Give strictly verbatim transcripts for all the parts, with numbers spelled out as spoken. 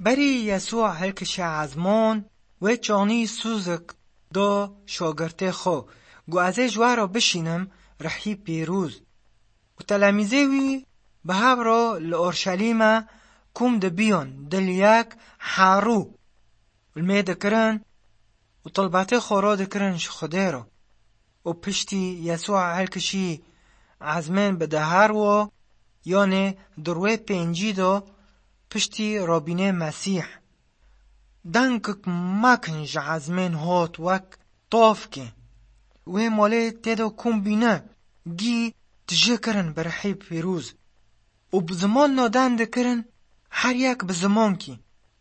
Berî Yesû hilkişe ezmon, wê çanî sûzik do şagirtê xwe, got, "Ez ê ji we re bişînim rihî pîroz." Û telemîzê wî bi hev re li Orşelîme kom dibiyan, dil yek herû li mê dikirin û tilbetê xwe radikirin ji Xwedê re. Û piştî Yesûa hilkişî ezmên bi dehar wo, yanê di rûyê pêncî de piştî rabînê Mesîh. Dengik mekin ji ezmên hat wek tavkê. Wê malê tê de kom bîne, gî tije kirin bi rihê pîroz. Û bi ziman naden dikirin, her yek bi zimankî.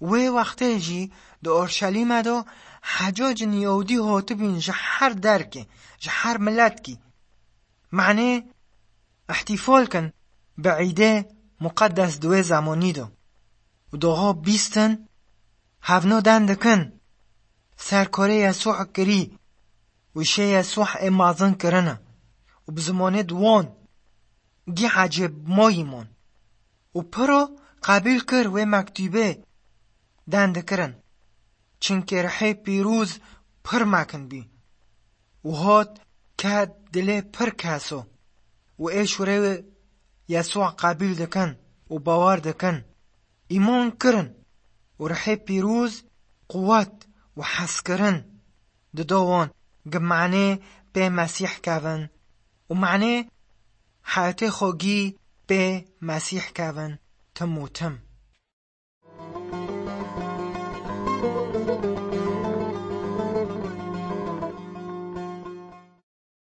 Wê wextê jî di Orşelîme de hecacin Yahûdî hatibîn ji her derkê, ji her miletkî. Manê îhtîfal kin bi îdê muqeddes di wê zemanî de. Û doha bîstin hevno den dikin. Serkorê Yesûh kirî û şê Yesûh ê mezin kirine û bi zimanê di wan gî ecêb mayî man. Û piro qebîl kir wê mektûbê den dikirin. Çimkî rihê pîroz pir mekin bî. Û hat ket dilê pir keso. Û ê şûrê Yesûa qebîl dikin û bawer dikin. Îman kirin û rihê pîroz quwet û hezkirin dida wan, gi manê pê Mesîh kevin û manê heyetê xwe gî pê Mesîh kevin tim û tim.